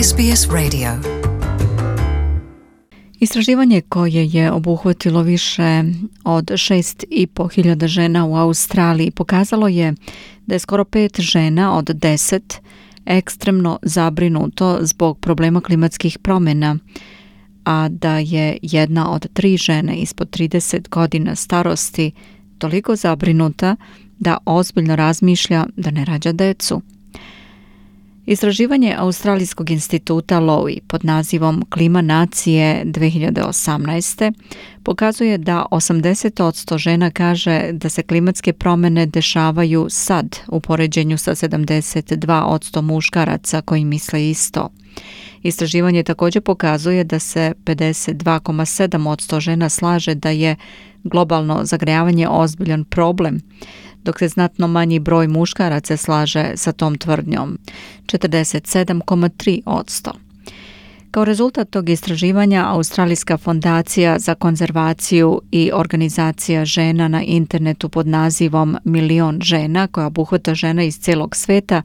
SBS Radio. Istraživanje koje je obuhvatilo više od 6.500 žena u Australiji pokazalo je da je skoro 5 žena od 10 ekstremno zabrinuto zbog problema klimatskih promjena, a da je jedna od 3 žene ispod 30 godina starosti toliko zabrinuta da ozbiljno razmišlja da ne rađa decu. Istraživanje Australijskog instituta Lowy pod nazivom Klima nacije 2018. pokazuje da 80% žena kaže da se klimatske promjene dešavaju sad u poređenju sa 72% muškaraca koji misle isto. Istraživanje također pokazuje da se 52,7% žena slaže da je globalno zagrejavanje ozbiljan problem, dok se znatno manji broj muškaraca slaže sa tom tvrdnjom, 47,3%. Kao rezultat tog istraživanja, Australijska fondacija za konzervaciju i organizacija žena na internetu pod nazivom Milion žena, koja obuhvata žene iz cijelog sveta,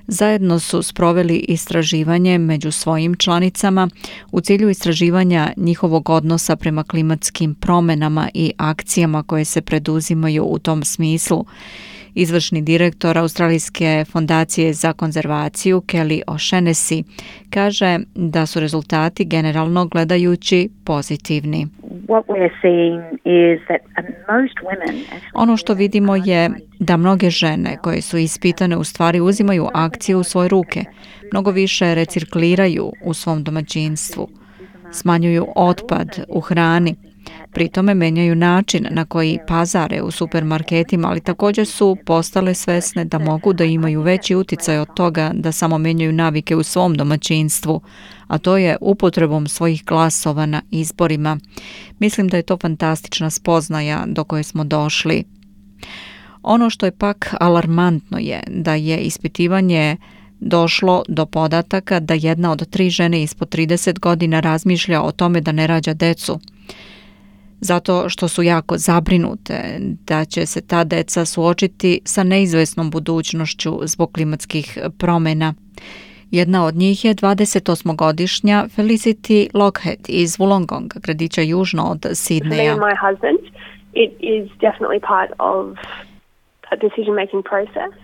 zajedno su sproveli istraživanje među svojim članicama u cilju istraživanja njihovog odnosa prema klimatskim promjenama i akcijama koje se preduzimaju u tom smislu. Izvršni direktor Australijske fondacije za konzervaciju Kelly O'Shaughnessy kaže da su rezultati generalno gledajući pozitivni. Ono što vidimo je da mnoge žene koje su ispitane u stvari uzimaju akciju u svoje ruke, mnogo više recikliraju u svom domaćinstvu, smanjuju otpad u hrani, pri tome menjaju način na koji pazare u supermarketima, ali također su postale svesne da mogu da imaju veći uticaj od toga da samo menjaju navike u svom domaćinstvu, a to je upotrebom svojih glasova na izborima. Mislim da je to fantastična spoznaja do koje smo došli. Ono što je pak alarmantno je da je ispitivanje došlo do podataka da jedna od 3 žene ispod 30 godina razmišlja o tome da ne rađa decu, zato što su jako zabrinute da će se ta deca suočiti sa neizvesnom budućnošću zbog klimatskih promjena. Jedna od njih je 28-godišnja Felicity Lockhead iz Wollongonga, gradića južno od Sidneja.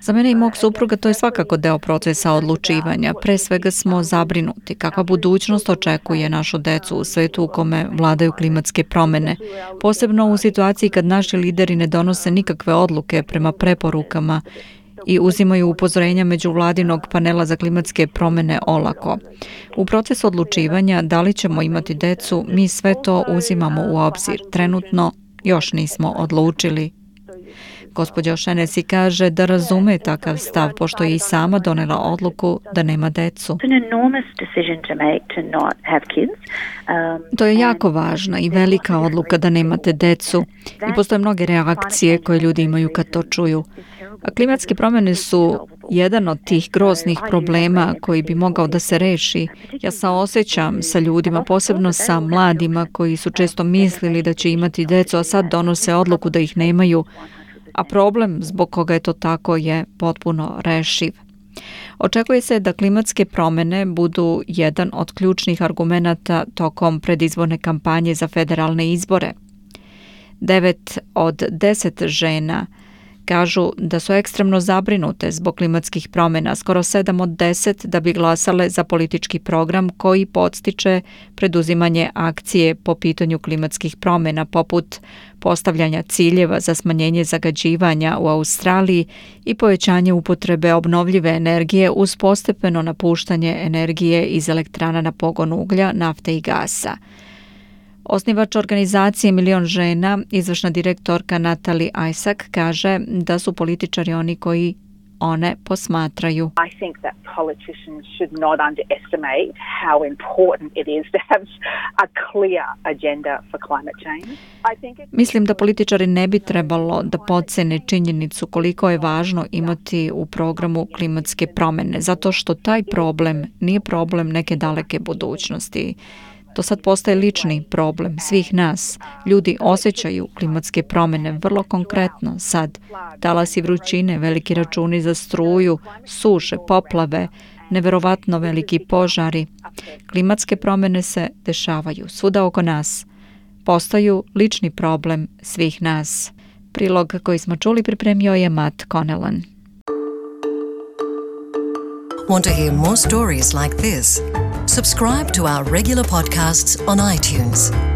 Za mene i mog supruga to je svakako deo procesa odlučivanja. Pre svega smo zabrinuti kakva budućnost očekuje našu decu u svetu u kome vladaju klimatske promjene, posebno u situaciji kad naši lideri ne donose nikakve odluke prema preporukama i uzimaju upozorenja međuvladinog panela za klimatske promjene olako. U procesu odlučivanja da li ćemo imati decu, mi sve to uzimamo u obzir. Trenutno još nismo odlučili. Gospođa O'Shaughnessy kaže da razume takav stav, pošto je i sama donela odluku da nema decu. To je jako važna i velika odluka da nemate decu i postoje mnoge reakcije koje ljudi imaju kad to čuju. A klimatske promjene su jedan od tih groznih problema koji bi mogao da se reši. Ja saosećam sa ljudima, posebno sa mladima koji su često mislili da će imati decu, a sad donose odluku da ih nemaju, a problem zbog koga je to tako je potpuno rešiv. Očekuje se da klimatske promjene budu jedan od ključnih argumenata tokom predizborne kampanje za federalne izbore. 9 od 10 žena kažu da su ekstremno zabrinute zbog klimatskih promjena, skoro 7 od 10 da bi glasale za politički program koji podstiče preduzimanje akcije po pitanju klimatskih promjena, poput postavljanja ciljeva za smanjenje zagađivanja u Australiji i povećanje upotrebe obnovljive energije uz postepeno napuštanje energije iz elektrana na pogon uglja, nafte i gasa. Osnivač organizacije Milion žena, izvršna direktorka Natalie Isaac, kaže da su političari oni koji one posmatraju. Mislim da političari ne bi trebalo da podcene činjenicu koliko je važno imati u programu klimatske promjene, zato što taj problem nije problem neke daleke budućnosti. To sad postaje lični problem svih nas. Ljudi osjećaju klimatske promjene vrlo konkretno sad. Talasi vrućine, veliki računi za struju, suše, poplave, neverovatno veliki požari. Klimatske promjene se dešavaju svuda oko nas. Postaju lični problem svih nas. Prilog koji smo čuli pripremio je Matt Connellan. Want to hear more stories like this? Subscribe to our regular podcasts on iTunes.